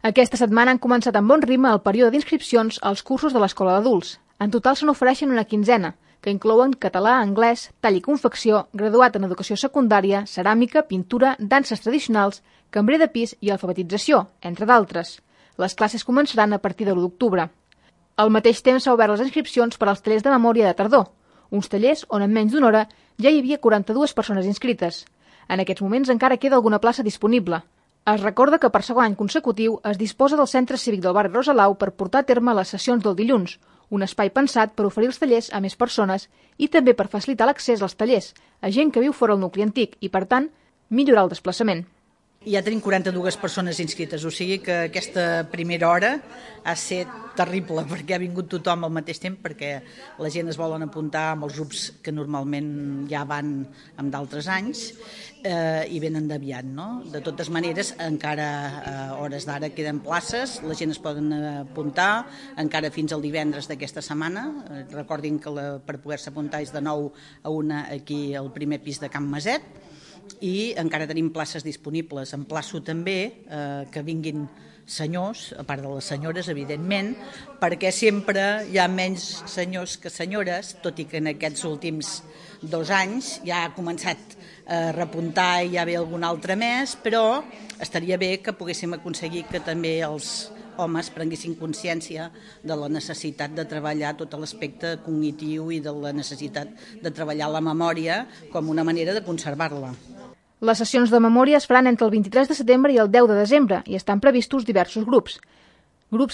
Aquesta setmana han començat amb bon ritme el període d'inscripcions als cursos de l'Escola d'Adults. En total se n'ofereixen una quinzena, que inclouen català, anglès, tall i confecció, graduat en educació secundària, ceràmica, pintura, danses tradicionals, cambrer de pis i alfabetització, entre d'altres. Les classes començaran a partir de l'1 d'octubre. Al mateix temps s'ha obert les inscripcions per als tallers de memòria de tardor, uns tallers on en menys d'una hora ja hi havia 42 persones inscrites. En aquests moments encara queda alguna plaça disponible. Es recorda que per segon any consecutiu es disposa del Centre Cívic del barri Rosalau per portar a terme les sessions del dilluns, un espai pensat per oferir els tallers a més persones i també per facilitar l'accés als tallers a gent que viu fora del nucli antic i, per tant, millorar el desplaçament. Ja tenim 42 persones inscrites, o sigui que aquesta primera hora ha estat terrible perquè ha vingut tothom al mateix temps, perquè la gent es volen apuntar amb els grups que normalment ja van amb d'altres anys i venen d'aviat, no? De totes maneres, encara a hores d'ara queden places, la gent es poden apuntar encara fins al divendres d'aquesta setmana. Recordin que per poder-se apuntar és de 9 a 1 aquí al primer pis de Can Maset, i encara tenim places disponibles. Emplaço també que vinguin senyors, a part de les senyores, evidentment, perquè sempre hi ha menys senyors que senyores, tot i que en aquests últims 2 anys ja ha començat a repuntar i ja ve algun altre més, però estaria bé que poguéssim aconseguir que també els homes prenguessin consciència de la necessitat de treballar tot l'aspecte cognitiu i de la necessitat de treballar la memòria com una manera de conservar-la. Les sessions de memòria es faran entre el 23 de setembre i el 10 de desembre i estan previstos diversos grups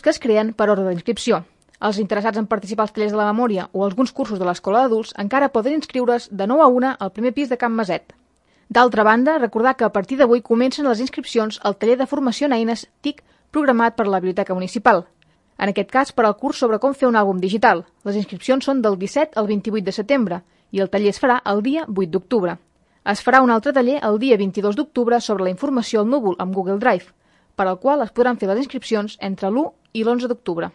que es creen per ordre d'inscripció. Els interessats en participar als tallers de la memòria o alguns cursos de l'Escola d'Adults encara poden inscriure's de 9 a 1 al primer pis de Can Maset. D'altra banda, recordar que a partir d'avui comencen les inscripcions al taller de formació en eines TIC programat per la Biblioteca Municipal. En aquest cas, per al curs sobre com fer un àlbum digital. Les inscripcions són del 17 al 28 de setembre i el taller es farà el dia 8 d'octubre. Es farà un altre taller el dia 22 d'octubre sobre la informació al núvol amb Google Drive, per al qual es podran fer les inscripcions entre l'1 i l'11 d'octubre.